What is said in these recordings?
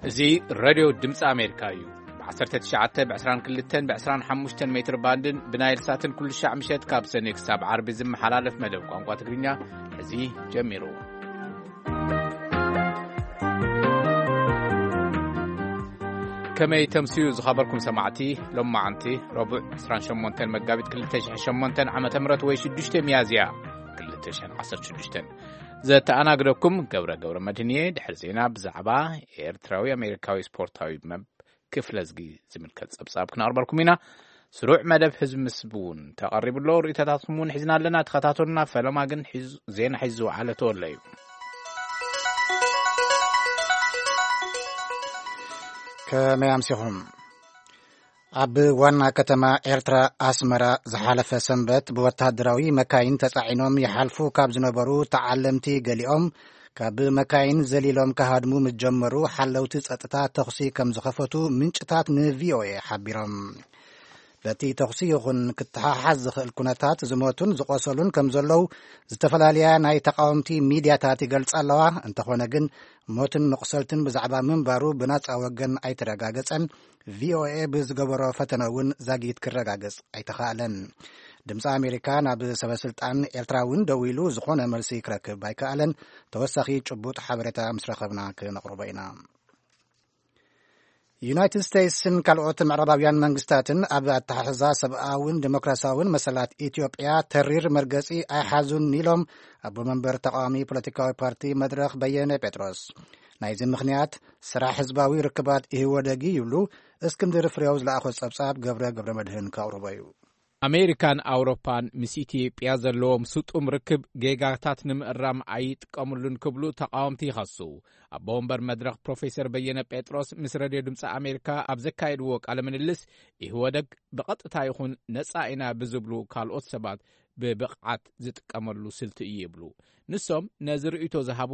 እዚ ሬድዮ ድምፂ ኣሜሪካ እዩ። ብ19፣ ብ22፣ ብ25 ሜትር ባንድን ብናይል ሳትን ኩሉ ሻዕ ምሸት ካብ ሰኔ ክሳብ ዓርቢ ዝመሓላለፍ መደብ ቋንቋ ትግርኛ እዚ ጀሚሩ። ከመይ ተምስዩ ዝኸበርኩም ሰማዕቲ፣ ሎማዓንቲ ረቡዕ 28 መጋቢት 2008 ዓመተ ምህረት ወይ 6 ሚያዝያ 2016 ዘተኣናግደኩም ገብረ ገብረ መድህን እየ። ድሕሪ ዜና ብዛዕባ ኤርትራዊ ኣሜሪካዊ ስፖርታዊ መብ ክፍለ ዝጊ ዝምልከት ጸብጻብ ክነቕርበልኩም ኢና። ስሩዕ መደብ ህዝቢ ምስ እውን ተቐሪቡ ኣሎ። ርእይቶታትኩም እውን ሒዝና ኣለና። ተኸታተሉና። ፈለማ ግን ሒዙ-፣ ዜና ሒዙ ዝወዓለ ተወለ እዩ። ከመይ ኣምሲኹም? ኣብ ዋና ከተማ ኤርትራ ኣስመራ ዝሓለፈ ሰንበት ብወታደራዊ መካይን ተጻዒኖም ይሓልፉ ካብ ዝነበሩ ተዓለምቲ ገሊኦም ካብ መካይን ዘሊሎም ክሃድሙ ምስ ጀመሩ ሓለውቲ ጸጥታ ተኹሲ ከም ዝኸፈቱ ምንጭታት ንቪኦኤ ሓቢሮም። በቲ ተኹሲ ይኹን ክተሓሓዝ ዝኽእል ኩነታት ዝሞቱን ዝቖሰሉን ከም ዘለዉ ዝተፈላለያ ናይ ተቃወምቲ ሚድያታት ይገልጻ ኣለዋ። እንተኾነ ግን ሞትን መቑሰልትን ብዛዕባ ምንባሩ ብናጻ ወገን ኣይተረጋገጸን። ቪኦኤ ብዝገበሮ ፈተነ እውን ዛጊት ክረጋገጽ ኣይተኻእለን። ድምፂ ኣሜሪካ ናብ ሰበስልጣን ኤርትራ እውን ደዊሉ ዝኾነ መልሲ ክረክብ ኣይከኣለን። ተወሳኺ ጭቡጥ ሓበሬታ ምስ ረኸብና ክነቕርቦ ኢና። ዩናይትድ ስቴትስን ካልኦት ምዕራባውያን መንግስታትን ኣብ ኣተሓሕዛ ሰብኣውን ዲሞክራሲያውን መሰላት ኢትዮጵያ ተሪር መርገጺ ኣይሓዙን ኢሎም ኣቦ መንበር ተቃዋሚ ፖለቲካዊ ፓርቲ መድረኽ በየነ ጴጥሮስ። ናይዚ ምኽንያት ስራሕ ህዝባዊ ርክባት ኢህወደግ ይብሉ። እስክንድር ፍሬው ዝለኣኾ ጸብጻብ ገብረ ገብረ መድህን ከቕርቦ እዩ። ኣሜሪካን ኣውሮፓን ምስ ኢትዮጵያ ዘለዎም ስጡም ርክብ ጌጋታት ንምእራም ኣይጥቀምሉን ክብሉ ተቃወምቲ ይኸሱ። ኣቦ ወንበር መድረኽ ፕሮፌሰር በየነ ጴጥሮስ ምስ ሬድዮ ድምፂ ኣሜሪካ ኣብ ዘካየድዎ ቃለ ምልልስ፣ ኢህወደግ ብቐጥታ ይኹን ነፃ ኢና ብዝብሉ ካልኦት ሰባት ብብቕዓት ዝጥቀመሉ ስልቲ እዩ ይብሉ። ንሶም ነዚ ርእይቶ ዝሃቡ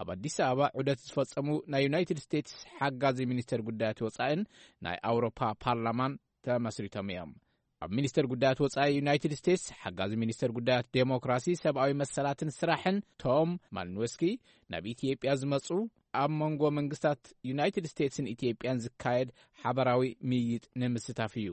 ኣብ ኣዲስ ኣበባ ዑደት ዝፈጸሙ ናይ ዩናይትድ ስቴትስ ሓጋዚ ሚኒስተር ጉዳያት ወጻእን ናይ ኣውሮፓ ፓርላማን ተመስሪቶም እዮም። ኣብ ሚኒስተር ጉዳያት ወጻኢ ዩናይትድ ስቴትስ ሓጋዚ ሚኒስተር ጉዳያት ዴሞክራሲ፣ ሰብኣዊ መሰላትን ስራሕን ቶም ማልንወስኪ፣ ናብ ኢትዮጵያ ዝመጹ ኣብ መንጎ መንግስታት ዩናይትድ ስቴትስን ኢትዮጵያን ዝካየድ ሓበራዊ ምይይጥ ንምስታፍ እዩ።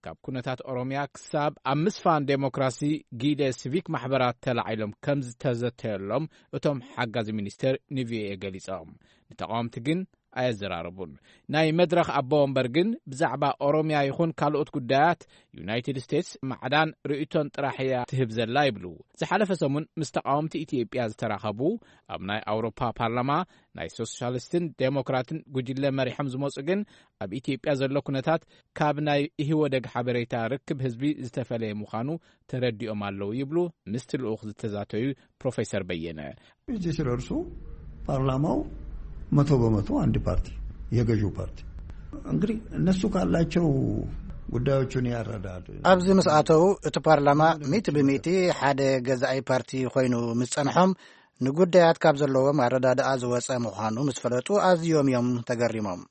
ካብ ኩነታት ኦሮምያ ክሳብ ኣብ ምስፋን ዴሞክራሲ ጊደ ሲቪክ ማሕበራት ተላዒሎም ከም ዝተዘተየሎም እቶም ሓጋዚ ሚኒስተር ንቪኦኤ ገሊጾም። ንተቃወምቲ ግን ኣየዘራረቡን። ናይ መድረኽ ኣቦ ወንበር ግን ብዛዕባ ኦሮምያ ይኹን ካልኦት ጉዳያት ዩናይትድ ስቴትስ ማዕዳን ርእይቶን ጥራሕ እያ ትህብ ዘላ ይብሉ። ዝሓለፈ ሰሙን ምስ ተቃወምቲ ኢትዮጵያ ዝተራኸቡ ኣብ ናይ ኣውሮፓ ፓርላማ ናይ ሶሻሊስትን ዴሞክራትን ጉጅለ መሪሖም ዝመጹ ግን ኣብ ኢትዮጵያ ዘሎ ኩነታት ካብ ናይ ኢህወደግ ሓበሬታ ርክብ ህዝቢ ዝተፈለየ ምዃኑ ተረዲኦም ኣለዉ ይብሉ ምስቲ ልኡኽ ዝተዛተዩ ፕሮፌሰር በየነ። እዚህ ሲደርሱ ፓርላማው መቶ በመቶ አንድ ፓርቲ፣ የገዢው ፓርቲ። እንግዲህ እነሱ ካላቸው ጉዳዮቹን ያረዳድ። ኣብዚ ምስ ኣተው እቲ ፓርላማ ሚእቲ ብሚእቲ ሓደ ገዛኢ ፓርቲ ኮይኑ ምስ ጸንሖም ንጉዳያት ካብ ዘለዎም ኣረዳድኣ ዝወጸ ምዃኑ ምስ ፈለጡ ኣዝዮም እዮም ተገሪሞም።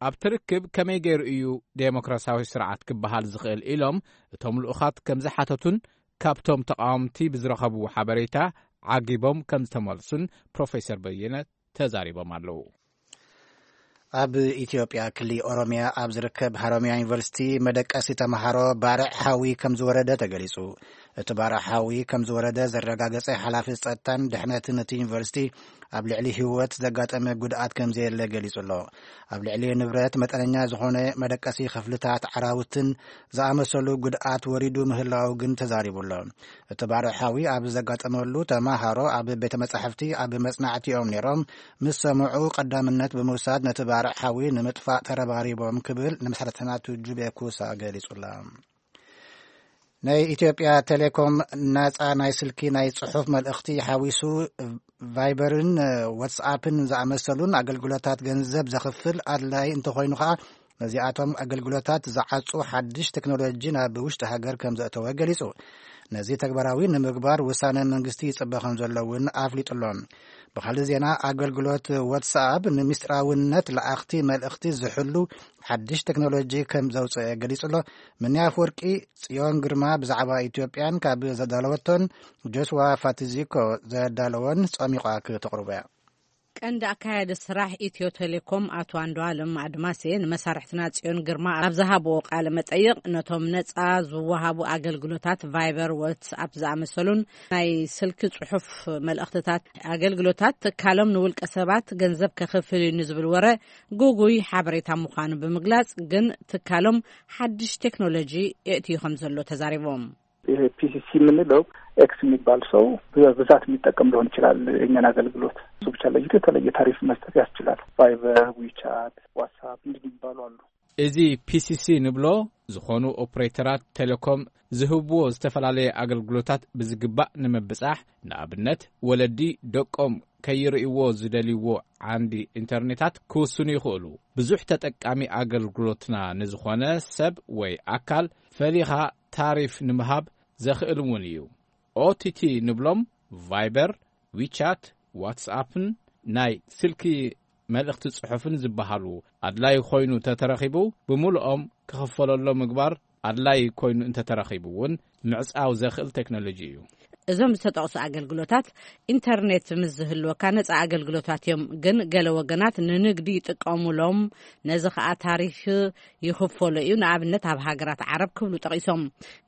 ኣብቲ ርክብ ከመይ ገይሩ እዩ ዴሞክራሲያዊ ስርዓት ክበሃል ዝኽእል ኢሎም እቶም ልኡኻት ከም ዝሓተቱን ካብቶም ተቃወምቲ ብዝረኸብዎ ሓበሬታ ዓጊቦም ከም ዝተመልሱን ፕሮፌሰር በየነ ተዛሪቦም ኣለዉ። ኣብ ኢትዮጵያ ክሊ ኦሮሚያ ኣብ ዝርከብ ሃሮሚያ ዩኒቨርሲቲ መደቀሲ ተምሃሮ ባርዕ ሓዊ ከም ዝወረደ ተገሊጹ። እቲ ባርዕ ሓዊ ከም ዝወረደ ዘረጋገጸ ሓላፊ ጸጥታን ድሕነትን እቲ ዩኒቨርሲቲ ኣብ ልዕሊ ህይወት ዘጋጠመ ጉድኣት ከም ዘየለ ገሊጹ ኣሎ። ኣብ ልዕሊ ንብረት መጠነኛ ዝኾነ መደቀሲ ክፍልታት ዓራውትን ዝኣመሰሉ ጉድኣት ወሪዱ ምህላው ግን ተዛሪቡ ኣሎ። እቲ ባርዕ ሓዊ ኣብ ዘጋጠመሉ ተማሃሮ ኣብ ቤተ መጻሕፍቲ ኣብ መጽናዕቲ እዮም ነይሮም። ምስ ሰምዑ ቀዳምነት ብምውሳድ ነቲ ባርዕ ሓዊ ንምጥፋእ ተረባሪቦም ክብል ንመሰረተና ቱጁቤ ኩሳ ገሊጹ ኣሎ። ናይ ኢትዮጵያ ቴሌኮም ናጻ ናይ ስልኪ ናይ ጽሑፍ መልእኽቲ ሓዊሱ ቫይበርን ዋትስኣፕን ዝኣመሰሉን ኣገልግሎታት ገንዘብ ዘኽፍል ኣድላይ እንተኾይኑ ኸኣ ነዚኣቶም ኣገልግሎታት ዝዓጹ ሓድሽ ቴክኖሎጂ ናብ ውሽጢ ሃገር ከም ዘእተወ ገሊጹ። ነዚ ተግባራዊ ንምግባር ውሳነ መንግስቲ ይጽበ ከም ዘሎ እውን ኣፍሊጡ ኣሎ። ብኻልእ ዜና ኣገልግሎት ዋትስኣፕ ንምስጢራውነት ለኣኽቲ መልእኽቲ ዝሕሉ ሓድሽ ቴክኖሎጂ ከም ዘውፅአ ገሊጹ ኣሎ። ምንያ ኣፈወርቂ ጽዮን ግርማ ብዛዕባ ኢትዮጵያን ካብ ዘዳለወቶን ጆስዋ ፋቲዚኮ ዘዳለወን ጸሚቋ ክተቕርቦ እያ። ቀንዲ ኣካያዲ ስራሕ ኢትዮ ቴሌኮም ኣቶ ኣንዱዓለም ኣድማሴ ንመሳርሕትና ጽዮን ግርማ ኣብ ዝሃብዎ ቃለ መጠይቕ፣ ነቶም ነጻ ዝወሃቡ ኣገልግሎታት ቫይበር፣ ዋትስኣፕ ዝኣመሰሉን ናይ ስልኪ ጽሑፍ መልእኽትታት ኣገልግሎታት ትካሎም ንውልቀ ሰባት ገንዘብ ከኽፍል እዩ ንዝብል ወረ ግጉይ ሓበሬታ ምዃኑ ብምግላጽ፣ ግን ትካሎም ሓድሽ ቴክኖሎጂ የእትዩ ከም ዘሎ ተዛሪቦም። ይሄ ፒሲሲ የምንለው ኤክስ የሚባል ሰው በብዛት የሚጠቀም ሊሆን ይችላል የእኛን አገልግሎት። እሱ ብቻ ለይቶ የተለየ ታሪፍ መስጠት ያስችላል። ቫይበር፣ ዊቻት፣ ዋትሳፕ እንዲህ የሚባሉ አሉ። እዚ ፒሲሲ ንብሎ ዝኾኑ ኦፕሬተራት ቴሌኮም ዝህብዎ ዝተፈላለየ ኣገልግሎታት ብዝግባእ ንምብጻሕ፣ ንኣብነት ወለዲ ደቆም ከይርእይዎ ዝደልይዎ ዓንዲ ኢንተርኔታት ክውስኑ ይኽእሉ። ብዙሕ ተጠቃሚ ኣገልግሎትና ንዝኾነ ሰብ ወይ ኣካል ፈሊኻ ታሪፍ ንምሃብ ዘኽእል እውን እዩ። ኦቲቲ ንብሎም ቫይበር፣ ዊቻት፣ ዋትስኣፕን ናይ ስልኪ መልእኽቲ ጽሑፍን ዝበሃሉ ኣድላይ ኮይኑ ተተረኺቡ ብምሉኦም ክኽፈለሎ ምግባር ኣድላይ ኮይኑ እንተተረኺቡ እውን ምዕጻው ዘኽእል ቴክኖሎጂ እዩ። እዞም ዝተጠቕሱ ኣገልግሎታት ኢንተርኔት ምስ ዝህልወካ ነጻ ኣገልግሎታት እዮም፣ ግን ገለ ወገናት ንንግዲ ይጥቀሙሎም፣ ነዚ ኸኣ ታሪፍ ይኽፈሎ እዩ፣ ንኣብነት ኣብ ሃገራት ዓረብ ክብሉ ጠቒሶም።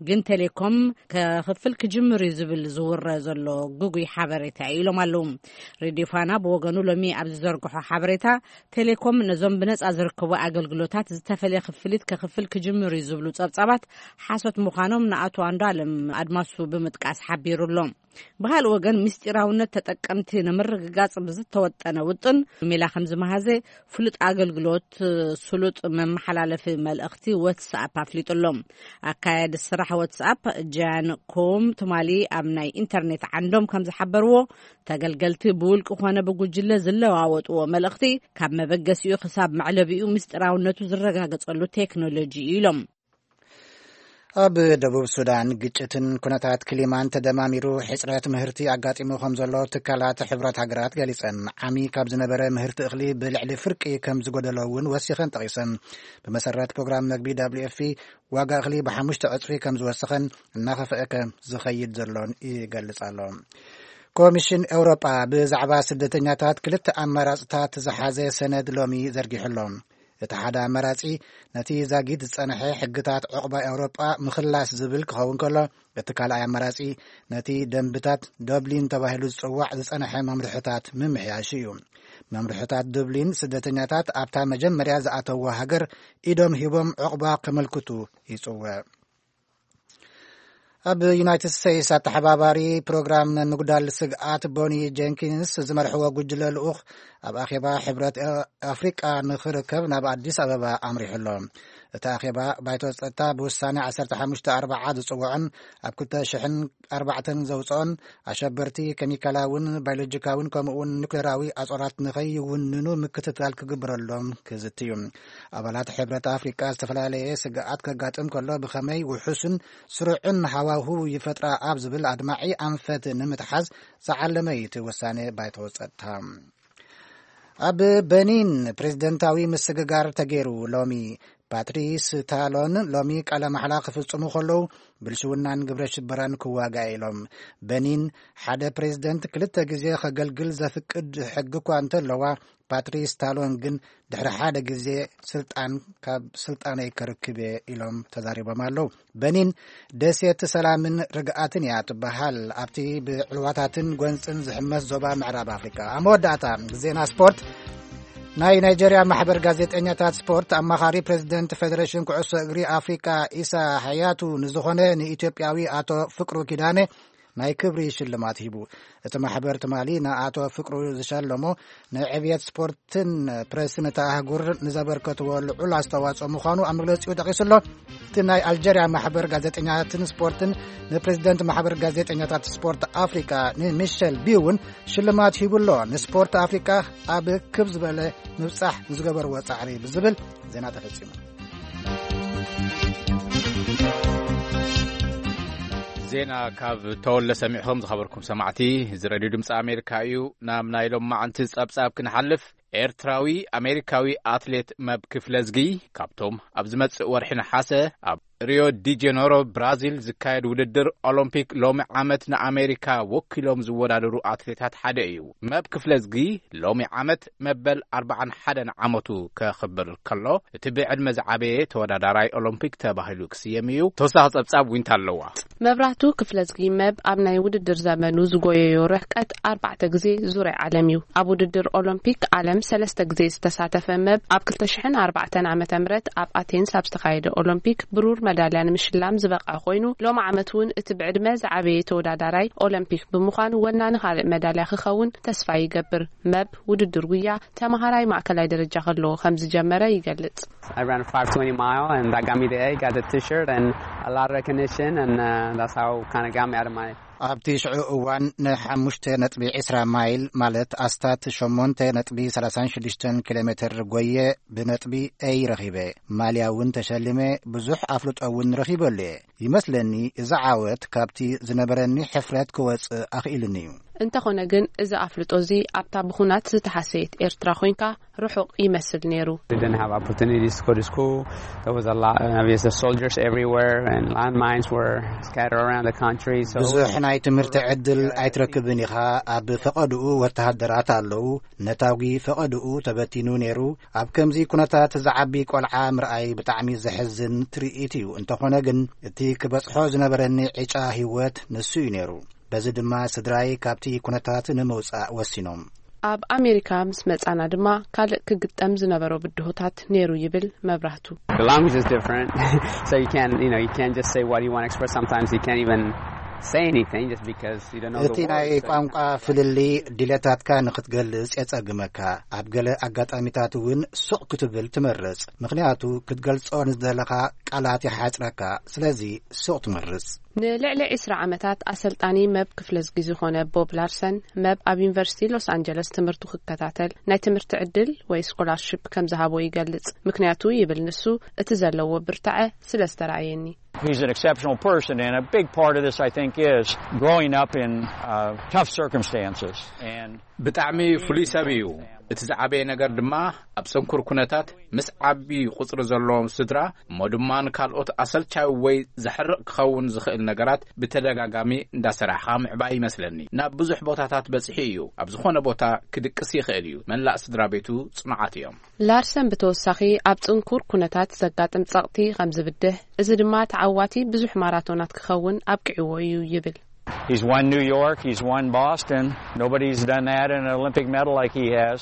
ግን ቴሌኮም ከኽፍል ክጅምር እዩ ዝብል ዝውረ ዘሎ ግጉይ ሓበሬታ እዩ ኢሎም ኣለዉ። ሬድዮ ፋና ብወገኑ ሎሚ ኣብ ዝዘርግሖ ሓበሬታ፣ ቴሌኮም ነዞም ብነጻ ዝርከቡ ኣገልግሎታት ዝተፈልየ ክፍሊት ከኽፍል ክጅምር እዩ ዝብሉ ጸብጻባት ሓሶት ምዃኖም ንኣቶ ኣንዱዓለም ኣድማሱ ብምጥቃስ ሓቢሩ ኣሎ። ብኻልእ ወገን፣ ምስጢራውነት ተጠቀምቲ ንምርግጋጽ ብዝተወጠነ ውጥን፣ ሜላ ከም ዝመሃዘ ፍሉጥ ኣገልግሎት ስሉጥ መመሓላለፊ መልእኽቲ ዋትስኣፕ ኣፍሊጡ ኣሎ። ኣካያዲ ስራሕ ዋትስኣፕ ጃን ኮም ትማሊ ኣብ ናይ ኢንተርኔት ዓንዶም ከም ዝሓበርዎ፣ ተገልገልቲ ብውልቂ ኮነ ብጉጅለ ዝለዋወጥዎ መልእኽቲ ካብ መበገሲኡ ክሳብ መዕለቢኡ ምስጢራውነቱ ዝረጋገጸሉ ቴክኖሎጂ እዩ ኢሎም። ኣብ ደቡብ ሱዳን ግጭትን ኩነታት ክሊማን ተደማሚሩ ሕጽረት ምህርቲ ኣጋጢሙ ከም ዘሎ ትካላት ሕብረት ሃገራት ገሊጸን። ዓሚ ካብ ዝነበረ ምህርቲ እኽሊ ብልዕሊ ፍርቂ ከም ዝጎደሎ እውን ወሲኸን ጠቒሰን። ብመሰረት ፕሮግራም መግቢ ደብሊው ኤፍ ፒ ዋጋ እኽሊ ብሓሙሽተ ዕጽፊ ከም ዝወሰኸን እናኸፍአ ከም ዝኸይድ ዘሎን ይገልጽ ኣሎ። ኮሚሽን ኤውሮጳ ብዛዕባ ስደተኛታት ክልተ ኣማራጽታት ዝሓዘ ሰነድ ሎሚ ዘርጊሑ ኣሎ። እቲ ሓደ ኣማራጺ ነቲ ዛጊት ዝጸንሐ ሕግታት ዕቑባ ኤውሮጳ ምኽላስ ዝብል ክኸውን ከሎ፣ እቲ ካልኣይ ኣማራጺ ነቲ ደንብታት ዶብሊን ተባሂሉ ዝጽዋዕ ዝጸንሐ መምርሕታት ምምሕያሹ እዩ። መምርሕታት ዱብሊን ስደተኛታት ኣብታ መጀመርያ ዝኣተዎ ሃገር ኢዶም ሂቦም ዕቑባ ከመልክቱ ይጽውዕ። ኣብ ዩናይትድ ስቴትስ ኣተሓባባሪ ፕሮግራም ምጉዳል ስግኣት ቦኒ ጀንኪንስ ዝመርሕዎ ጉጅለ ልኡኽ ኣብ ኣኼባ ሕብረት ኣፍሪቃ ንኽርከብ ናብ ኣዲስ ኣበባ ኣምሪሑ ኣሎ። እቲ ኣኼባ ባይቶ ጸጥታ ብውሳኔ ዓሰርተ ሓሙሽተ ኣርባዓ ዝጽውዖን ኣብ ክልተ ሽሕን ኣርባዕተን ዘውጽኦን ኣሸበርቲ ኬሚካላውን ባዮሎጂካውን ከምኡውን ኒኩሌራዊ ኣጾራት ንኸይውንኑ ምክትታል ክግበረሎም ክዝቲ እዩ። ኣባላት ሕብረት ኣፍሪቃ ዝተፈላለየ ስግኣት ከጋጥም ከሎ ብኸመይ ውሑስን ስሩዕን ሃዋህው ይፈጥራ ኣብ ዝብል ኣድማዒ ኣንፈት ንምትሓዝ ዝዓለመ እዩ እቲ ውሳኔ ባይቶ ጸጥታ። ኣብ በኒን ፕሬዝደንታዊ ምስግጋር ተገይሩ። ሎሚ ፓትሪስ ታሎን ሎሚ ቃለ ማሕላ ክፍጽሙ ከለዉ ብልሽውናን ግብረ ሽበራን ክዋጋእ ኢሎም። በኒን ሓደ ፕሬዝደንት ክልተ ግዜ ከገልግል ዘፍቅድ ሕጊ እኳ እንተለዋ፣ ፓትሪስ ታሎን ግን ድሕሪ ሓደ ግዜ ስልጣን ካብ ስልጣነይ ከርክብ እየ ኢሎም ተዛሪቦም ኣለዉ። በኒን ደሴት ሰላምን ርግኣትን እያ ትበሃል ኣብቲ ብዕልዋታትን ጎንፅን ዝሕመስ ዞባ ምዕራብ ኣፍሪካ። ኣብ መወዳእታ ዜና ስፖርት። ናይ ናይጀርያ ማሕበር ጋዜጠኛታት ስፖርት ኣማኻሪ ፕሬዚደንት ፌዴሬሽን ኩዕሶ እግሪ ኣፍሪካ ኢሳ ሓያቱ ንዝኾነ ንኢትዮጵያዊ ኣቶ ፍቅሩ ኪዳነ ናይ ክብሪ ሽልማት ሂቡ። እቲ ማሕበር ትማሊ ንኣቶ ፍቅሩ ዝሸለሞ ንዕብየት ስፖርትን ፕሬስን እታ ኣህጉር ንዘበርከትዎ ልዑል ኣስተዋፅኦ ምዃኑ ኣብ መግለፂኡ ጠቒሱ ኣሎ። እቲ ናይ ኣልጀርያ ማሕበር ጋዜጠኛትን ስፖርትን ንፕሬዚደንት ማሕበር ጋዜጠኛታት ስፖርት ኣፍሪካ ንሚሸል ቢ እውን ሽልማት ሂቡ ኣሎ። ንስፖርት ኣፍሪካ ኣብ ክብ ዝበለ ምብፃሕ ንዝገበርዎ ፃዕሪ ብዝብል ዜና ተፈፂሙ። ዜና ካብ ተወለ ሰሚዕኹም ዝኸበርኩም ሰማዕቲ፣ እዚ ሬድዮ ድምፂ ኣሜሪካ እዩ። ናብ ናይ ሎም መዓንቲ ጸብጻብ ክንሓልፍ፣ ኤርትራዊ ኣሜሪካዊ ኣትሌት መብ ክፍለዝጊ ካብቶም ኣብ ዝመጽእ ወርሒ ነሓሰ ኣብ ሪዮ ዲ ጄኔሮ ብራዚል ዝካየድ ውድድር ኦሎምፒክ ሎሚ ዓመት ንኣሜሪካ ወኪሎም ዝወዳደሩ ኣትሌታት ሓደ እዩ። መብ ክፍለዝጊ ሎሚ ዓመት መበል ኣርባዓን ሓደን ዓመቱ ከኽብር ከሎ፣ እቲ ብዕድመ ዝዓበየ ተወዳዳራይ ኦሎምፒክ ተባሂሉ ክስየም እዩ። ተወሳኺ ጸብጻብ ዊንታ ኣለዋ። መብራህቱ ክፍለዝጊ መብ ኣብ ናይ ውድድር ዘመኑ ዝጎየዮ ርሕቀት ኣርባዕተ ግዜ ዙርያ ዓለም እዩ። ኣብ ውድድር ኦሎምፒክ ዓለም ሰለስተ ግዜ ዝተሳተፈ መብ፣ ኣብ ክልተ ሽሕን ኣርባዕተን ዓመተ ምህረት ኣብ ኣቴንስ ኣብ ዝተኻየደ ኦሎምፒክ ብሩር መዳልያ ንምሽላም ዝበቕዐ ኮይኑ፣ ሎሚ ዓመት እውን እቲ ብዕድመ ዝዓበየ ተወዳዳራይ ኦሎምፒክ ብምዃን ወናኒ ካልእ መዳልያ ክኸውን ተስፋ ይገብር። መብ ውድድር ጉያ ተመሃራይ ማእከላይ ደረጃ ከለዎ ከም ዝጀመረ ይገልጽ። I ran a five twenty mile, and that got me the A, got the t-shirt, and a lot of recognition, and uh, that's how kind of got me out of my ኣብቲ ሽዑ እዋን ንሓሙሽተ ነጥቢ ዕስራ ማይል፣ ማለት ኣስታት ሸሞንተ ነጥቢ ሰላሳን ሽዱሽተን ኪሎ ሜትር ጎየ፣ ብነጥቢ ኤይ ረኺበ። ማልያ እውን ተሸሊመ፣ ብዙሕ ኣፍልጦ እውን ረኺበሉ እየ። ይመስለኒ፣ እዚ ዓወት ካብቲ ዝነበረኒ ሕፍረት ክወጽእ ኣኽኢሉኒ እዩ። እንተኾነ ግን፣ እዚ ኣፍልጦ እዚ ኣብታ ብኹናት ዝተሃሰየት ኤርትራ ኮይንካ ርሑቕ ይመስል ነይሩ። We didn't have opportunities to go to school. There was a lot of the soldiers everywhere, and landmines were scattered around the country. So ብዙሕ ናይ ትምህርቲ ዕድል ኣይትረክብን ኢኻ። ኣብ ፈቐድኡ ወተሃደራት ኣለዉ። ነታጒ ፈቐድኡ ተበቲኑ ነይሩ። ኣብ ከምዚ ኩነታት ዝዓቢ ቆልዓ ምርኣይ ብጣዕሚ ዘሕዝን ትርኢት እዩ። እንተኾነ ግን፣ እቲ ክበጽሖ ዝነበረኒ ዕጫ ህይወት ንሱ እዩ ነይሩ። በዚ ድማ ስድራይ ካብቲ ኩነታት ንምውጻእ ወሲኖም። ኣብ ኣሜሪካ ምስ መጻና ድማ ካልእ ክግጠም ዝነበሮ ብድሆታት ነይሩ ይብል መብራህቱ። The language is different, so you can't, you know, you can't just say what you want to express. Sometimes you can't even say anything just because you don't know the እቲ ናይ words. ቋንቋ ፍልልይ ድሌታትካ ንኽትገልጽ የጸግመካ። ኣብ ገለ ኣጋጣሚታት እውን ሱቕ ክትብል ትመርጽ፣ ምኽንያቱ ክትገልጾ ንዝደለኻ ቃላት ይሓጽረካ። ስለዚ ሱቕ ትመርጽ። ንልዕሊ ዕስራ ዓመታት ኣሰልጣኒ መብ ክፍለዝጊ ዝኾነ ቦብ ላርሰን፣ መብ ኣብ ዩኒቨርሲቲ ሎስ ኣንጀለስ ትምህርቱ ክከታተል ናይ ትምህርቲ ዕድል ወይ ስኮላርሺፕ ከም ዝሃቦ ይገልጽ። ምክንያቱ ይብል ንሱ፣ እቲ ዘለዎ ብርታዐ ስለ ዝተረኣየኒ። He's an exceptional person, and a big part of this, I think, is growing up in uh, tough circumstances. And ብጣዕሚ ፍሉይ ሰብ እዩ። እቲ ዝዓበየ ነገር ድማ ኣብ ጽንኩር ኩነታት ምስ ዓቢ ቁጽሪ ዘለዎም ስድራ፣ እሞ ድማ ንካልኦት ኣሰልቻዊ ወይ ዘሕርቕ ክኸውን ዝኽእል ነገራት ብተደጋጋሚ እንዳሰራሕኻ ምዕባይ ይመስለኒ። ናብ ብዙሕ ቦታታት በጺሑ እዩ። ኣብ ዝኾነ ቦታ ክድቅስ ይኽእል እዩ። መላእ ስድራ ቤቱ ጽኑዓት እዮም። ላርሰን ብተወሳኺ ኣብ ጽንኩር ኩነታት ዘጋጥም ጸቕጢ ከም ዝብድህ፣ እዚ ድማ ተዓዋቲ ብዙሕ ማራቶናት ክኸውን ኣብቂዕዎ እዩ ይብል። He's won New York, he's won Boston. Nobody's done that in an Olympic medal like he has.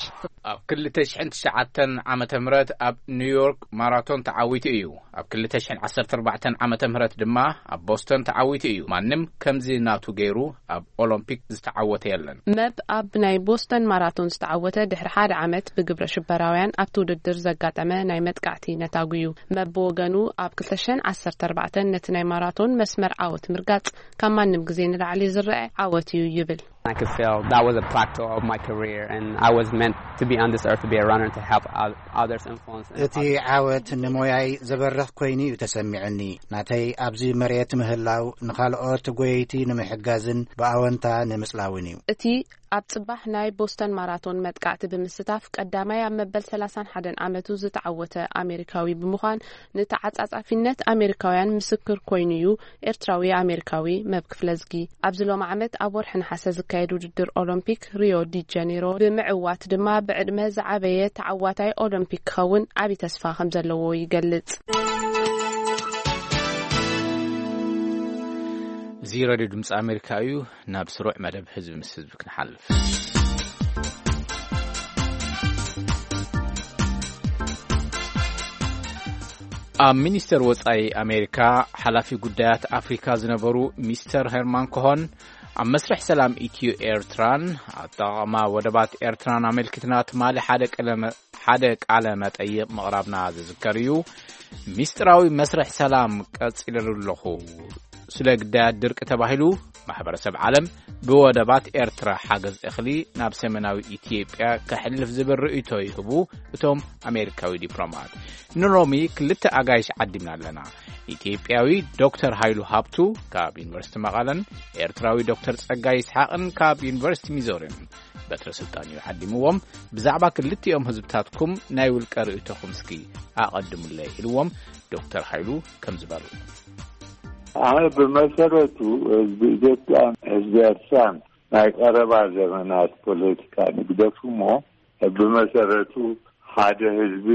ኣብ ክልተ ሽሕን ትሽዓተን ዓመተ ምህረት ኣብ ኒውዮርክ ማራቶን ተዓዊቱ እዩ። ኣብ ክልተ ሽሕን ዓሰርተ ኣርባዕተን ዓመተ ምህረት ድማ ኣብ ቦስተን ተዓዊቱ እዩ። ማንም ከምዚ ናቱ ገይሩ ኣብ ኦሎምፒክ ዝተዓወተ የለን። መብ ኣብ ናይ ቦስተን ማራቶን ዝተዓወተ ድሕሪ ሓደ ዓመት ብግብረ ሽበራውያን ኣብቲ ውድድር ዘጋጠመ ናይ መጥቃዕቲ ነታጒ እዩ። መብ ብወገኑ ኣብ ክልተ ሽሕን ዓሰርተ ኣርባዕተን ነቲ ናይ ማራቶን መስመር ዓወት ምርጋጽ ካብ ማንም ግዜ ንላዕሊ ዝረአ ዓወት እዩ ይብል። I could feel that was a plateau of my career, and I was meant to be on this earth to be a runner, to help oth- others influence. And እቲ ዓወት ንሞያይ ዘበርኽ ኮይኑ እዩ ተሰሚዑኒ። ናተይ ኣብዚ መሬት ምህላው ንኻልኦት ጎየይቲ ንምሕጋዝን ብኣወንታ ንምጽላውን እዩ። እቲ ኣብ ጽባሕ ናይ ቦስተን ማራቶን መጥቃዕቲ ብምስታፍ ቀዳማይ ኣብ መበል ሰላሳን ሓደን ዓመቱ ዝተዓወተ ኣሜሪካዊ ብምዃን፣ ንተዓጻጻፊነት ኣሜሪካውያን ምስክር ኮይኑ እዩ። ኤርትራዊ ኣሜሪካዊ መብ ክፍለዝጊ ኣብዚ ሎም ዓመት ኣብ ወርሒ ነሓሰ ዝካየድ ውድድር ኦሎምፒክ ሪዮ ዲ ጀኔሮ ብምዕዋት ድማ ብዕድመ ዝዓበየ ተዓዋታይ ኦሎምፒክ ክኸውን ዓቢ ተስፋ ከም ዘለዎ ይገልጽ። እዚ ሬድዮ ድምፂ ኣሜሪካ እዩ። ናብ ስሩዕ መደብ ህዝቢ ምስ ህዝቢ ክንሓልፍ። ኣብ ሚኒስተር ወጻኢ ኣሜሪካ ሓላፊ ጉዳያት ኣፍሪካ ዝነበሩ ሚስተር ሄርማን ኮሆን፣ ኣብ መስርሕ ሰላም ኢትዮ ኤርትራን ኣጠቓቕማ ወደባት ኤርትራን ኣመልኪትና ትማሊ ሓደ ቀለመ-፣ ሓደ ቃለ መጠይቕ ምቕራብና ዝዝከር እዩ። ሚስጥራዊ መስርሕ ሰላም ቀጺለሉ ኣለኹ። ስለ ግዳያት ድርቂ ተባሂሉ ማሕበረሰብ ዓለም ብወደባት ኤርትራ ሓገዝ እኽሊ ናብ ሰሜናዊ ኢትዮጵያ ከሕልፍ ዝብል ርእይቶ ይህቡ እቶም ኣሜሪካዊ ዲፕሎማት። ንሎሚ ክልተ ኣጋይሽ ዓዲምና ኣለና። ኢትዮጵያዊ ዶክተር ሃይሉ ሃብቱ ካብ ዩኒቨርሲቲ መቐለን፣ ኤርትራዊ ዶክተር ጸጋይ ይስሓቕን ካብ ዩኒቨርሲቲ ሚዞሪን። በትረ ስልጣን እዩ ዓዲምዎም። ብዛዕባ ክልቲኦም ህዝብታትኩም ናይ ውልቀ ርእይቶኹም እስኪ ኣቐድሙለይ ኢልዎም። ዶክተር ሓይሉ ከምዚ በሉ። ኣነ ብመሰረቱ ህዝቢ ኢትዮጵያን ህዝቢ ኤርትራን ናይ ቀረባ ዘመናት ፖለቲካ ንግደፍ እሞ፣ ብመሰረቱ ሓደ ህዝቢ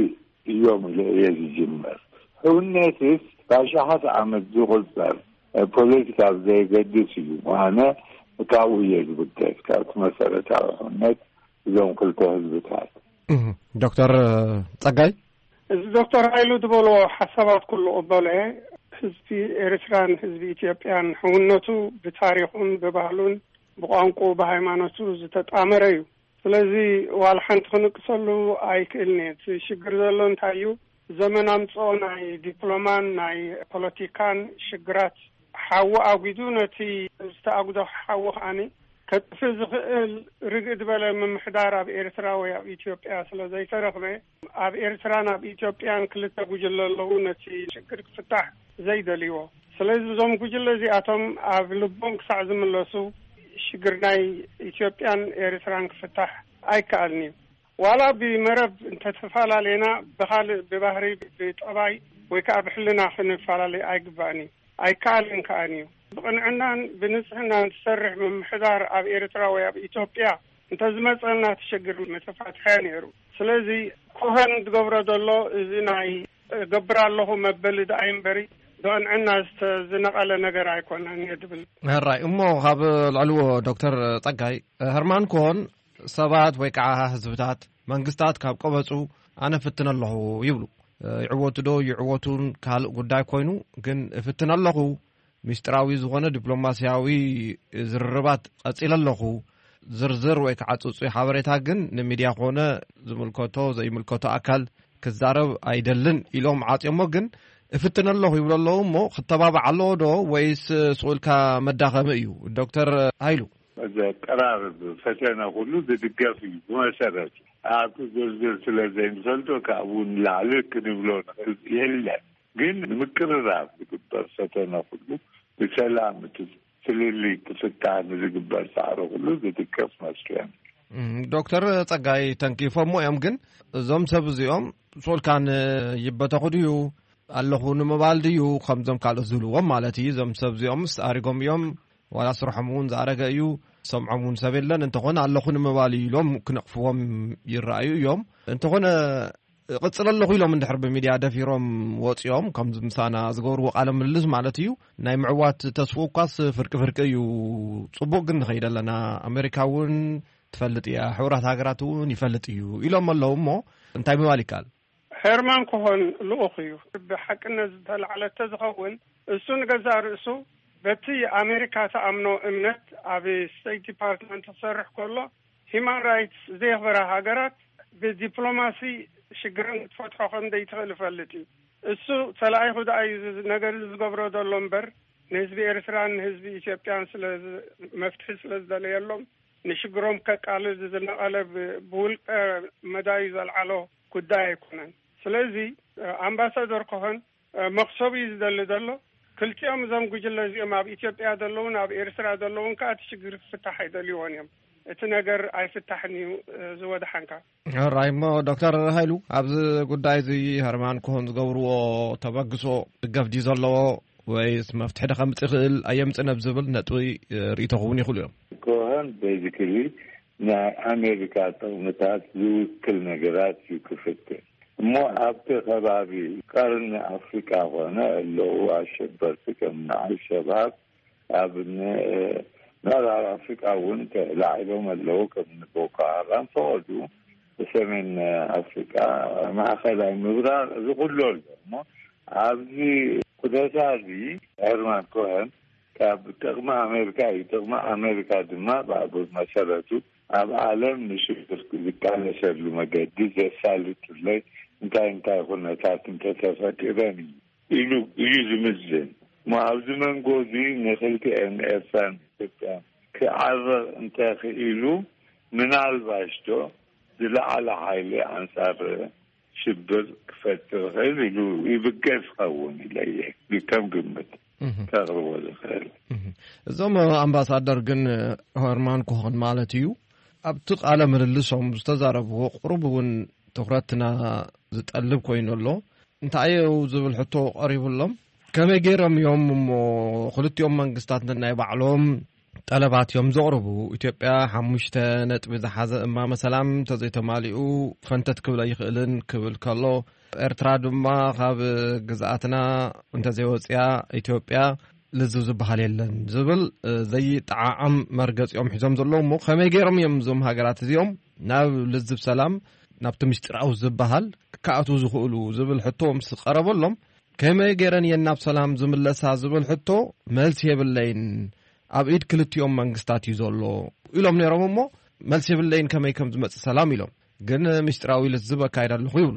እዮም ኢለ እየ ዝጅመር። ሕውነትስ ብኣሽሓት ዓመት ዝቑጸር ፖለቲካ ዘይገድስ እዩ። ኣነ ካብኡ እየ ዝብገስ፣ ካብቲ መሰረታዊ ሕውነት እዞም ክልተ ህዝብታት። ዶክተር ጸጋይ፣ እዚ ዶክተር ሃይሉ ዝበልዎ ሓሳባት ኩሉ ቅበሎ እየ። ህዝቢ ኤርትራን ህዝቢ ኢትዮጵያን ሕውነቱ ብታሪኹን ብባህሉን ብቋንቁ ብሃይማኖቱ ዝተጣመረ እዩ። ስለዚ ዋላ ሓንቲ ክንቅሰሉ ኣይክእልን እየ። እቲ ሽግር ዘሎ እንታይ እዩ? ዘመን ኣምፅኦ ናይ ዲፕሎማን ናይ ፖለቲካን ሽግራት ሓዊ ኣጉዱ ነቲ ዝተኣጉዶ ሓዊ ከዓኒ ከጥፍእ ዝኽእል ርግእ ዝበለ ምምሕዳር ኣብ ኤርትራ ወይ ኣብ ኢትዮጵያ ስለ ዘይተረኽበ፣ ኣብ ኤርትራን ኣብ ኢትዮጵያን ክልተ ጉጅለ ኣለዉ ነቲ ሽግር ክፍታሕ ዘይደልይዎ። ስለዚ እዞም ጉጅለ እዚኣቶም ኣብ ልቦም ክሳዕ ዝምለሱ ሽግር ናይ ኢትዮጵያን ኤርትራን ክፍታሕ ኣይከኣልን እዩ። ዋላ ብመረብ እንተተፈላለና ብኻልእ ብባህሪ ብጠባይ ወይ ከዓ ብሕልና ክንፈላለይ ኣይግባእን እዩ። ኣይከኣልን ከኣን እዩ። ብቕንዕናን ብንጽህናን ትሰርሕ ምምሕዳር ኣብ ኤርትራ ወይ ኣብ ኢትዮጵያ እንተዝመጸና እቲ ሽግር ምተፋትሐ ነይሩ። ስለዚ ኮኸን ዝገብሮ ዘሎ እዚ ናይ እገብር ኣለኹ መበሊ ደኣይ እምበሪ ብቕንዕና ዝተዝነቐለ ነገር ኣይኮነን እየ ድብል። ሕራይ እሞ ካብ ልዕልዎ ዶክተር ጸጋይ፣ ህርማን ኮን ሰባት ወይ ከዓ ህዝብታት መንግስታት ካብ ቀበጹ ኣነ ፍትን ኣለኹ ይብሉ። ይዕወቱ ዶ ይዕወቱን ካልእ ጉዳይ ኮይኑ፣ ግን እፍትን ኣለኹ፣ ሚስጥራዊ ዝኾነ ዲፕሎማስያዊ ዝርርባት ቀጺለ ኣለኹ። ዝርዝር ወይ ከዓ ጽጹይ ሓበሬታ ግን ንሚድያ ኮነ ዝምልከቶ ዘይምልከቶ ኣካል ክዛረብ ኣይደልን ኢሎም ዓጽዮሞ። ግን እፍትን ኣለኹ ይብሉ ኣለዉ እሞ፣ ክተባባዕ ኣለዎ ዶ ወይስ ስቕ ኢልካ መዳኸሚ እዩ? ዶክተር ሃይሉ። ዘቀራርብ ፈተነ ኩሉ ዝድገፍ እዩ። ብመሰረቱ ኣብቲ ዝርዝር ስለ ዘይንፈልጦ ካብኡ ንላዕሊ ክንብሎ ንኽእል የለን። ግን ንምቅርራብ ዝግበር ፈተነ ኩሉ ብሰላም እቲ ፍልልይ ክፍታሕ ንዝግበር ፃዕሪ ኩሉ ዝድገፍ መስለን። ዶክተር ጸጋይ ተንኪፎሞ እዮም። ግን እዞም ሰብ እዚኦም ሶልካን ይበተኹ ድዩ ኣለኹ ንምባል ድዩ ከምዞም ካልኦት ዝብልዎም ማለት እዩ። እዞም ሰብ እዚኦምስ ኣሪጎም እዮም፣ ዋላ ስርሖም እውን ዝኣረገ እዩ፣ ሰምዖም እውን ሰብ የለን፣ እንተኾነ ኣለኹ ንምባል እዩ ኢሎም ክነቕፍዎም ይረኣዩ እዮም። እንተኾነ እቕጽል ኣለኹ ኢሎም እንድሕር ብሚድያ ደፊሮም ወጺኦም ከምዚ ምሳና ዝገብርዎ ቃለ ምልልስ ማለት እዩ፣ ናይ ምዕዋት ተስፍኡ እኳስ ፍርቂ ፍርቂ እዩ። ጽቡቕ ግን ንኸይድ ኣለና፣ ኣሜሪካ እውን ትፈልጥ እያ፣ ሕቡራት ሃገራት እውን ይፈልጥ እዩ ኢሎም ኣለዉ። እሞ እንታይ ምባል ይከኣል? ሄርማን ኮሆን ልኡኽ እዩ። ብሓቅነት ዝተላዕለ ተዝኸውን እሱ ንገዛእ ርእሱ በቲ ኣሜሪካ ተኣምኖ እምነት ኣብ ስቴት ዲፓርትመንት ክሰርሕ ከሎ ሂማን ራይትስ ዘየኽበራ ሃገራት ብዲፕሎማሲ ሽግረን ክትፈትሖ ከም ዘይትኽእል ይፈልጥ እዩ። እሱ ተላኢኹ ደኣ እዩ እዚ ነገር እዚ ዝገብሮ ዘሎ እምበር ንህዝቢ ኤርትራን ንህዝቢ ኢትዮጵያን ስለ ዝ- መፍትሒ ስለ ዝደለየሎም ንሽግሮም ከቃልል ዝነቐለ ብ- ብውልቀ መዳዩ ዘልዓሎ ጉዳይ ኣይኮነን። ስለዚ ኣምባሳደር ኮሆን መኽሰቡ እዩ ዝደሊ ዘሎ። ክልቲኦም እዞም ጉጅለ እዚኦም ኣብ ኢትዮጵያ ዘለውን ኣብ ኤርትራ ዘለውን ከዓ እቲ ሽግር ክፍታሕ ኣይደልይዎን እዮም። እቲ ነገር ኣይፍታሕን እዩ ዝወድሓንካ። ሕራይ እሞ ዶክተር ሃይሉ ኣብዚ ጉዳይ እዚ ሀርማን ኮሆን ዝገብርዎ ተበግሶ ደገፍ ድዩ ዘለዎ ወይስ መፍትሒ ዶ ከምፅእ ይኽእል ኣየምፅእን ኣብ ዝብል ነጥቢ ርኢቶ ክውን ይኽእሉ እዮም። ኮሆን basically ናይ ኣሜሪካ ጥቕምታት ዝውክል ነገራት እዩ ክፍትን እሞ ኣብቲ ከባቢ ቀርኒ ኣፍሪቃ ኮነ ኣለዉ ኣሸበርቲ ከም ንኣልሸባብ ኣብ ምዕራብ ኣፍሪቃ እውን ተላዒሎም ኣለዉ ከም ንቦኮ ሃራም ፈቐዱ ብሰሜን ኣፍሪቃ ማእኸላይ ምብራቕ እዚ ኩሉ ኣሎ እሞ ኣብዚ ኩነታ እዚ ሄርማን ኮሀን ካብ ጥቕሚ ኣሜሪካ እዩ። ጥቕሚ ኣሜሪካ ድማ ብኣቡር መሰረቱ ኣብ ዓለም ንሽግር ዝቃለሰሉ መገዲ ዘሳልጥለይ እንታይ እንታይ ኩነታት እንተተፈጢረን እዩ ኢሉ እዩ ዝምዝን። እሞ ኣብዚ መንጎ እዚ ንክልቲኤን ኤርትራን ኢትዮጵያን ክዓረቕ እንተኽኢሉ ምናልባሽ ዶ ዝለዓለ ሓይሊ ኣንጻር ሽብር ክፈጥር ይኽእል ኢሉ ይብገስ ኸውን ኢለ እየ ከም ግምት ከቕርቦ ዝኽእል። እዞም ኣምባሳደር ግን ሆርማን ኮሆን ማለት እዩ ኣብቲ ቃለ ምልልሶም ዝተዛረብዎ ቁሩብ እውን ትኹረትና ዝጠልብ ኮይኑ ኣሎ። እንታይ እዩ ዝብል ሕቶ ቀሪቡሎም። ከመይ ገይሮም እዮም እሞ ክልቲኦም መንግስታት ነናይ ባዕሎም ጠለባት እዮም ዘቕርቡ። ኢትዮጵያ ሓሙሽተ ነጥቢ ዝሓዘ እማመ ሰላም እንተዘይተማሊኡ ፈንተት ክብል ኣይኽእልን ክብል ከሎ፣ ኤርትራ ድማ ካብ ግዝኣትና እንተዘይወፅያ ኢትዮጵያ ልዝብ ዝበሃል የለን ዝብል፣ እ፣ ዘይጠዓዓም መርገፂ እዮም ሒዞም ዘለዉ። እሞ ከመይ ገይሮም እዮም እዞም ሃገራት እዚኦም ናብ ልዝብ ሰላም፣ ናብቲ ምስጢራዊ ዝበሃል ክኣትዉ ዝኽእሉ ዝብል ሕቶ ምስ ቀረበሎም፣ ከመይ ገይረን እየን ናብ ሰላም ዝምለሳ ዝብል ሕቶ መልሲ የብለይን፣ ኣብ ኢድ ክልቲኦም መንግስታት እዩ ዘሎ ኢሎም ነይሮም። እሞ መልሲ የብለይን፣ ከመይ ከም ዝመጽእ ሰላም ኢሎም፣ ግን ምስጢራዊ ልዝብ ኣካይድ ኣለኹ ይብሉ።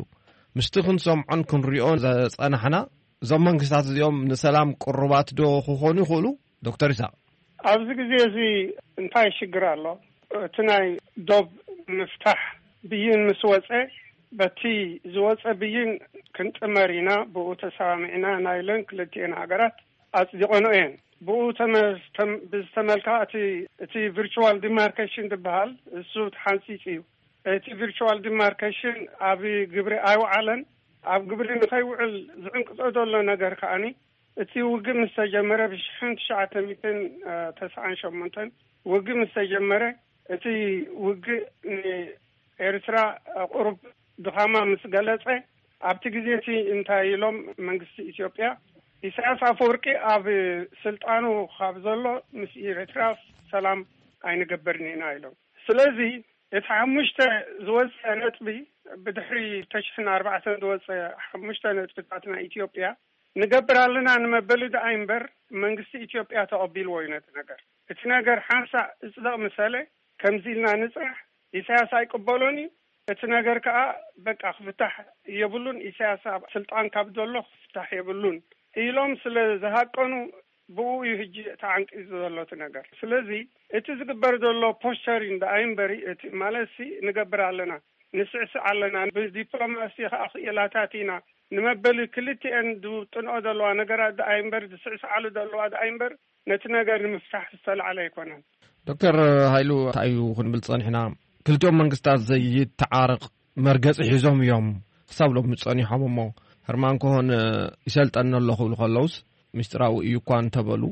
ምስቲ ክንሰምዖን ክንሪኦን ዘጸናሕና፣ እዞም መንግስታት እዚኦም ንሰላም ቅሩባት ዶ ክኾኑ ይኽእሉ? ዶክተር ይስሐቅ። ኣብዚ ግዜ እዚ እንታይ ሽግር ኣሎ? እቲ ናይ ዶብ ምፍታሕ ብይን ምስ ወጸ፣ በቲ ዝወጸ ብይን ክንጥመር ኢና፣ ብኡ ተሰማሚዕና ኢና ኢለን ክልቲኤን ሃገራት ኣጽዲቐንኦ እየን። ብኡ ተመ-፣ ተም-፣ ብዝተመልካ እቲ፣ እቲ ቪርቹዋል ዲማርኬሽን ዝበሃል እሱ ተሓንጺጹ እዩ። እቲ ቪርቹዋል ዲማርኬሽን ኣብ ግብሪ ኣይወዓለን። ኣብ ግብሪ ንኸይውዕል ዝዕንቅጾ ዘሎ ነገር ከኣኒ፣ እቲ ውግእ ምስ ተጀመረ፣ ብሽሕን ትሽዓተ ሚእትን ተስዓን ሸሞንተን ውግእ ምስ ተጀመረ፣ እቲ ውግእ ንኤርትራ ቁሩብ ድኻማ ምስ ገለጸ፣ ኣብቲ ግዜ እቲ እንታይ ኢሎም መንግስቲ ኢትዮጵያ፣ ኢሳያስ ኣፈወርቂ ኣብ ስልጣኑ ካብ ዘሎ ምስ ኤርትራ ሰላም ኣይንገብርን ኢና ኢሎም። ስለዚ እቲ ሓሙሽተ ዝወፀ ነጥቢ፣ ብድሕሪ ተሽሕን ኣርባዕተን ዝወፀ ሓሙሽተ ነጥብታት ናይ ኢትዮጵያ ንገብር ኣለና ንመበሊ ደኣ እምበር መንግስቲ ኢትዮጵያ ተቐቢልዎ እዩ ነቲ ነገር። እቲ ነገር ሓንሳእ እፅደቕ ምሰለ ከምዚ ኢልና ንፅናሕ፣ ኢሳያስ ኣይቅበሎን እዩ። እቲ ነገር ከዓ በቃ ክፍታሕ የብሉን። ኢሳያስ ኣብ ስልጣን ካብ ዘሎ ክፍታሕ የብሉን ኢሎም ስለ ዝሃቀኑ ብኡ እዩ ሕጂ ተዓንቂዙ ዘሎ እቲ ነገር። ስለዚ እቲ ዝግበር ዘሎ ፖስቸሪን ደኣ እምበሪ፣ እቲ ማለት ሲ ንገብር ኣለና፣ ንስዕስዕ ኣለና፣ ብዲፕሎማሲ ከዓ ክኢላታት ኢና ንመበሊ ክልቲኤን ዝውጥንኦ ዘለዋ ነገራት ደኣ እምበር፣ ዝስዕስዓሉ ዘለዋ ደኣ እምበር፣ ነቲ ነገር ንምፍታሕ ዝተላዕለ ኣይኮነን። ዶክተር ሃይሉ፣ እንታይ እዩ ክንብል ጸኒሕና? ክልቲኦም መንግስታት ዘይተዓረቕ መርገጺ ሒዞም እዮም ክሳብ ሎሚ ጸኒሖም እሞ፣ ህርማን ኮሆን ይሰልጠኒ ኣሎ ክብሉ ከለውስ፣ ምስጢራዊ እዩ እኳ እንተበሉ፣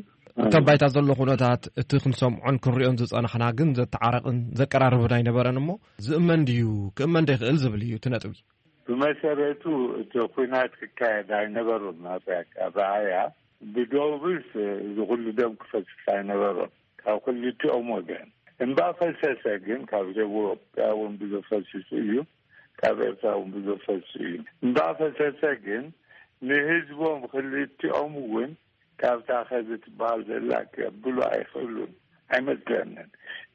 እቶም ባይታ ዘሎ ኩነታት፣ እቲ ክንሰምዖን ክንሪኦን ዝጸናሕና ግን ዘተዓረቕን ዘቀራርብን ኣይነበረን እሞ፣ ዝእመን ድዩ ክእመን ዶ ይኽእል ዝብል እዩ እቲ ነጥቢ። ብመሰረቱ እቲ ኲናት ክካየድ ኣይነበሩን። ኣብ ኣረኣእያ ብዶብስ እዚ ኩሉ ደም ክፈስስ ኣይነበሮን ካብ ክልቲኦም ወገን። እምባ ፈሰሰ ግን ካብ ኢትዮጵያ እውን ብዙሕ ፈሲሱ እዩ፣ ካብ ኤርትራ እውን ብዙሕ ፈሲሱ እዩ። እምባ ፈሰሰ ግን ንህዝቦም ክልቲኦም እውን ካብታ ከዚ ትበሃል ዘላ ከብሉ ኣይኽእሉን ኣይመስለንን።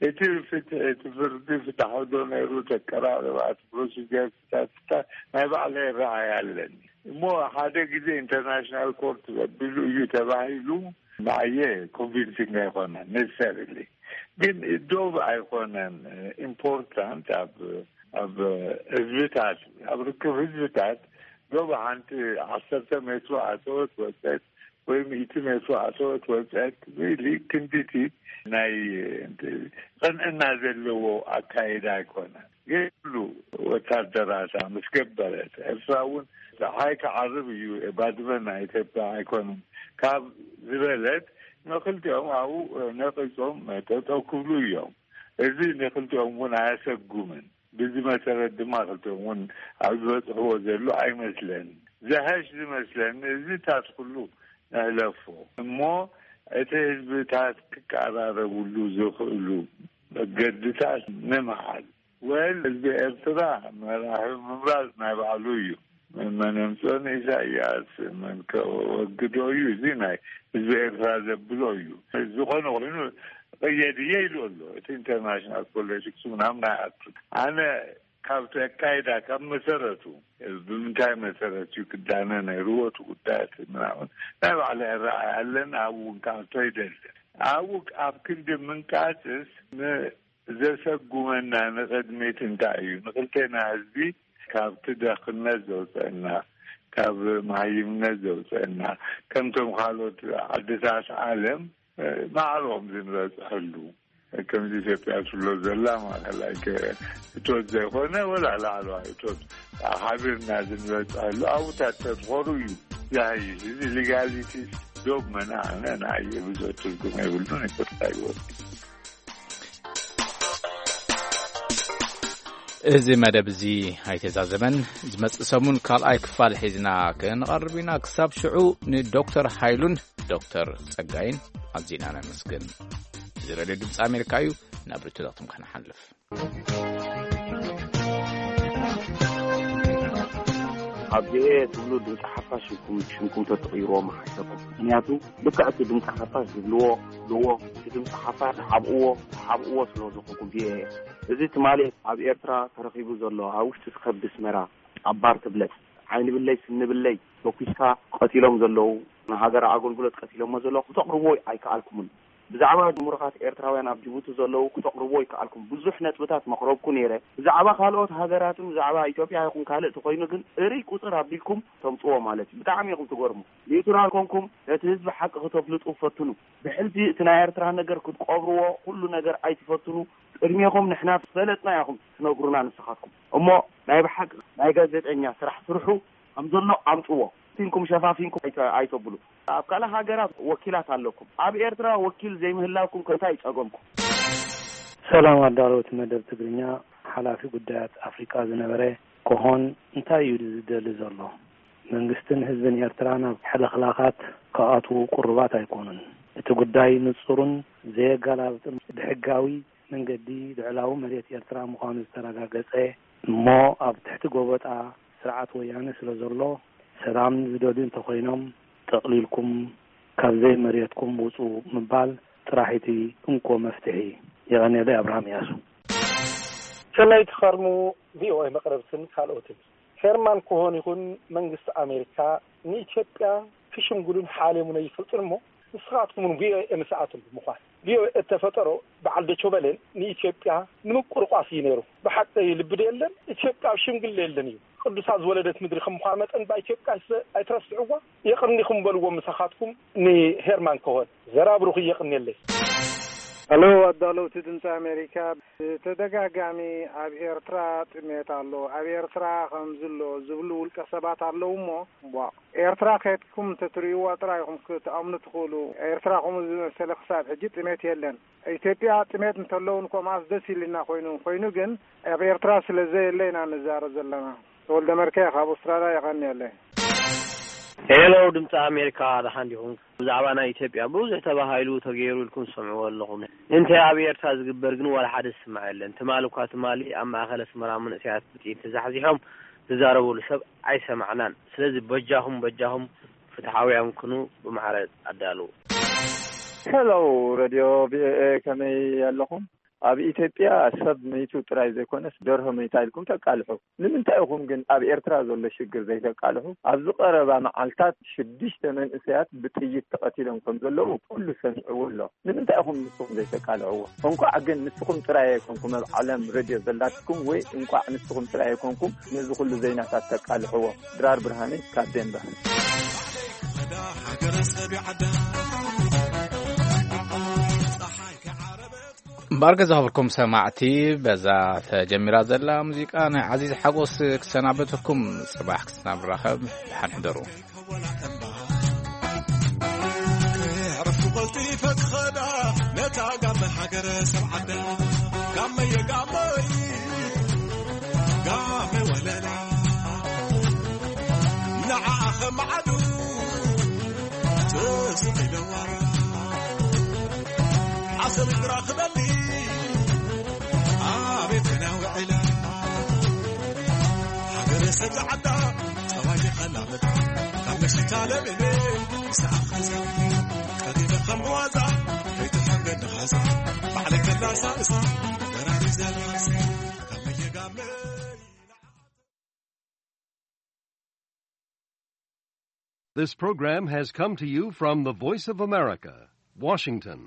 እቲ ፍትሒ፣ እቲ ፍርዲ ፍትሒ ዶ ነይሩ፣ ተቀራረባ፣ እቲ ፕሮሲጀር ፍታት ፍታት ናይ ባዕለይ ረኣይ ኣለኒ። እሞ ሓደ ግዜ ኢንተርናሽናል ኮርት ዘቢሉ እዩ ተባሂሉ፣ ንዓየ ኮንቪንሲንግ ኣይኮነን ነሰሰርሊ። ግን ዶብ ኣይኮነን ኢምፖርታንት ኣብ፣ ኣብ ህዝብታት፣ ኣብ ርክብ ህዝብታት ዶብ ሓንቲ ዓሰርተ ሜትሮ ኣተወት ወፀት ወይ ሚእቲ ሜትሮ ኣተወት ወፀት ሪሊ ክንዲቲ ናይ ቅንዕና ዘለዎ ኣካይዳ ኣይኮነን። ገሉ ወታደራታ ምስ ገበረት፣ ኤርትራ እውን ፀሓይ ክዓርብ እዩ፣ ባድመ ናይ ኢትዮጵያ ኣይኮነን ካብ ዝበለት፣ ንክልቲኦም ኣብኡ ነቂጾም ጠጠው ክብሉ እዮም። እዚ ንክልቲኦም እውን ኣየሰጉምን። ብዚ መሰረት ድማ ክልቲኦም እውን ኣብ ዝበፅሕዎ ዘሎ ኣይመስለንን። ዘሐሽ ዝመስለኒ እዚታት ኩሉ ንሕለፎ እሞ፣ እቲ ህዝብታት ክቀራረብሉ ዝኽእሉ መገድታት ንምሓዝ። ወል ህዝቢ ኤርትራ መራሒ ምምራጽ ናይ ባዕሉ እዩ። መን የምጽኦን ኢሳያስ፣ መን ከወግዶ እዩ፣ እዚ ናይ ህዝቢ ኤርትራ ዘብሎ እዩ። ዝኾነ ኮይኑ ቅየድ እየ ኢሉ ኣሎ። እቲ ኢንተርናሽናል ፖለቲክስ ምናምን ኣይኣቱን። ኣነ ካብቲ ኣካይዳ ካብ መሰረቱ፣ ብምንታይ መሰረት እዩ ክዳነ ነይርዎ እቲ ጉዳያት ምናምን ናይ ባዕለይ ኣረኣእያ ኣለኒ። ኣብኡ እውን ክኣቶ ኣይደልን። ኣብኡ ኣብ ክንዲ ምንቃጽስ ን-፣ ዘሰጉመና ንቕድሚት እንታይ እዩ? ንክልቴና ህዝቢ ካብቲ ደኽነት ዘውፀና፣ ካብ መሃይምነት ዘውፀና፣ ከምቶም ካልኦት ዓድታት ዓለም ማዕሮም ዝንበፅሐሉ፣ ከምዚ ኢትዮጵያ ትብሎ ዘላ ማለት ላይክ እቶት ዘይኮነ ወላ ላዕለዋይ እቶት ሓቢርና ዝንበፅሐሉ ኣብታት ተትኾሩ እዩ ዝሃይሽ። እዚ ሊጋሊቲ ዶብ መና ኣነ ንኣየ ብዙ ትርጉም የብሉን። ይቅርታ ይወስድ። እዚ መደብ እዚ ኣይተዛዘመን። ዝመጽእ ሰሙን ካልኣይ ክፋል ሒዝና ክንቐርብ ኢና። ክሳብ ሽዑ ንዶክተር ሓይሉን ዶክተር ጸጋይን ኣዚና ነመስግን። እዚ ሬድዮ ድምፂ ኣሜሪካ እዩ። ናብ ርቱታትኩም ከነሓልፍ። ኣብ ቪኦኤ ትብሉ ድምፂ ሓፋሽ ኢልኩም ሽምኩም ተትቕይርዎ ምሓሸኩም። ምክንያቱ ልክዕ እቲ ድምፂ ሓፋሽ ዝብልዎ ዝብልዎ እቲ ድምፂ ሓፋሽ ሓብእዎ ሓብእዎ ስለ ዝኾንኩም ቪኦኤ እዚ ትማሊ ኣብ ኤርትራ ተረኺቡ ዘሎ ኣብ ውሽጢ ስከብ ድስመራ ኣብ ባር ትብለጽ ዓይኒ ብለይ ስኒ ብለይ ተኩስካ ቀቲሎም ዘለዉ ንሃገር ኣገልግሎት ቀቲሎሞ ዘለዉ ክተቕርብዎ ኣይከኣልኩምን። ብዛዕባ ምሩኻት ኤርትራውያን ኣብ ጅቡቲ ዘለዉ ክተቕርብዎ ኣይከኣልኩም። ብዙሕ ነጥብታት መቕረብኩ ነይረ። ብዛዕባ ካልኦት ሃገራትን ብዛዕባ ኢትዮጵያ ይኹን ካልእ ተኾይኑ ግን እርይ ቁጽር ኣቢልኩም ተምጽዎ ማለት እዩ። ብጣዕሚ ኢኹም ትገርሙ። ኒውትራል ኮንኩም ነቲ ህዝቢ ሓቂ ክተፍልጡ ፈትኑ። ብሕልፊ እቲ ናይ ኤርትራ ነገር ክትቀብርዎ ኩሉ ነገር ኣይትፈትኑ። ቅድሜኹም ንሕና ዝፈለጥና ኢኹም ትነግሩና ንስኻትኩም። እሞ ናይ ብሓቂ ናይ ጋዜጠኛ ስራሕ ስርሑ ከም ዘሎ ኣምጽዎ። ፊንኩም ሸፋፊንኩም ኣይተ- ኣይተብሉ። ኣብ ካልእ ሃገራት ወኪላት ኣለኩም። ኣብ ኤርትራ ወኪል ዘይምህላውኩም ከ እንታይ ይጸገምኩም? ሰላም ኣዳለውቲ መደብ ትግርኛ። ሓላፊ ጉዳያት ኣፍሪቃ ዝነበረ ኮሆን እንታይ እዩ ዝደሊ ዘሎ? መንግስትን ህዝብን ኤርትራ ናብ ሕልኽላኻት ክኣትዉ ቅሩባት ኣይኮኑን። እቲ ጉዳይ ንጹርን ዘየገላብጥን ብሕጋዊ መንገዲ ልዕላዊ መሬት ኤርትራ ምዃኑ ዝተረጋገጸ እሞ ኣብ ትሕቲ ጎበጣ ስርዓት ወያነ ስለ ዘሎ ሰላም ዝደልዩ እንተኾይኖም ጠቕሊልኩም ካብ ዘይመሬትኩም ውጹ ምባል ጥራሕ እቲ እንኮ መፍትሒ። የቐንየለይ ኣብርሃም እያሱ። ሰናይ ትኸርሙ ቪኦኤ መቕረብትን ካልኦትን ሄርማን ኮሆን ይኹን መንግስቲ ኣሜሪካ ንኢትዮጵያ ክሽምግሉን ሓልዮምን ኣይፈልጡን እሞ ንስኻትኩም እውን ቪኦኤ ምስኣቶም ብምዃን ቪኦኤ እተፈጠሮ በዓል ዶቼ ቬለን ንኢትዮጵያ ንምቁርቋስ እዩ ነይሩ። ብሓቂ ልቢ ዶ የለን? ኢትዮጵያ ኣብ ሽምግል የለን እዩ። ቅዱሳት ዝወለደት ምድሪ ከም ምዃን መጠን ብኢትዮጵያ ኣይትረስዕዋ። የቕኒኹም በልዎም ምሳኻትኩም ንሄርማን ኮሆን። ዘራብሩኺ የቕንየለይ። ሄሎ ኣዳለውቲ ድምፂ ኣሜሪካ፣ ብተደጋጋሚ ኣብ ኤርትራ ጥሜት ኣሎ፣ ኣብ ኤርትራ ከምዚ ኣሎ ዝብሉ ውልቀ ሰባት ኣለዉ እሞ ቧ ኤርትራ ከድኩም እንተትርእይዋ ጥራይ ኢኹም ክትኣምኑ ትኽእሉ። ኤርትራ ከምኡ ዝመሰለ ክሳብ ሕጂ ጥሜት የለን። ኢትዮጵያ ጥሜት እንተለውን ኮምኣስ ደስ ኢልና ኮይኑ ኮይኑ ግን ኣብ ኤርትራ ስለ ዘየለ ኢና ንዛረብ ዘለና። ተወልደ መርከ ካብ ኣውስትራልያ የቐንየለይ። ሄሎ ድምፂ ኣሜሪካ ደሓን ዲኹም? ብዛዕባ ናይ ኢትዮጵያ ብዙሕ ተባሂሉ ተገይሩ ኢልኩም ትሰምዕዎ ኣለኹም። እንታይ ኣብ ኤርትራ ዝግበር ግን ዋላ ሓደ ዝስማዕ የለን። ትማሊ እኳ ትማሊ ኣብ ማእኸል ኣስመራ መንእሰያት ብጥይት ተዛሕዚሖም ዝዛረበሉ ሰብ ኣይሰማዕናን። ስለዚ በጃኹም በጃኹም ፍትሓውያን ኩኑ ብማዕረ ኣዳልዉ። ሄሎ ሬድዮ ቪኦኤ ከመይ ኣለኹም? ኣብ ኢትዮጵያ ሰብ መይቱ ጥራይ ዘይኮነስ ደርሆ መይታ ኢልኩም ተቃልሑ። ንምንታይ ኢኹም ግን ኣብ ኤርትራ ዘሎ ሽግር ዘይተቃልሑ? ኣብዚ ቀረባ መዓልታት ሽዱሽተ መንእሰያት ብጥይት ተቐቲሎም ከም ዘለዉ ኩሉ ሰሚዕዎ ኣሎ። ንምንታይ ኢኹም ንስኹም ዘይተቃልዕዎ? እንቋዕ ግን ንስኹም ጥራይ ኣይኮንኩም ኣብ ዓለም ሬድዮ ዘላትኩም ወይ እንቋዕ ንስኹም ጥራይ ኣይኮንኩም ነዚ ኩሉ ዘይናታት ተቃልሕዎ። ድራር ብርሃነ ካብ ዴንቨር። እምበኣር ገዛ ክብርኩም ሰማዕቲ በዛ ተጀሚራ ዘላ ሙዚቃ ናይ ዓዚዝ ሓጎስ ክሰናበተኩም። ጽባሕ ክሳብ ንራኸብ ደሓን ሕደሩ። ክዕርፉ ቀልጢፈ ክኸዳ ነታ ጋመ ሃገረ ሰብ ዓዳ ጋመየ ጋመይ ጋመ ወለላ ንዓኣ ኸማዓዱ ትስቕ ኢለዋ ዓሰብ እግራ ክበሊ ኣቤት ክና ውዕላ ሃገረ ሰብ ዝዓዳ ጸባይ ኸላመት ካብ መሽታ ለሚነ ምሳኣ ኸዛ ቀሪበ ከም ብዋዛ ከይትሕንገኒ ኸዛ ባዕለይ ከላሳልሳ በራሪ ዘላሲ ጋመየ ጋመይ This program has come to you from the Voice of America, Washington.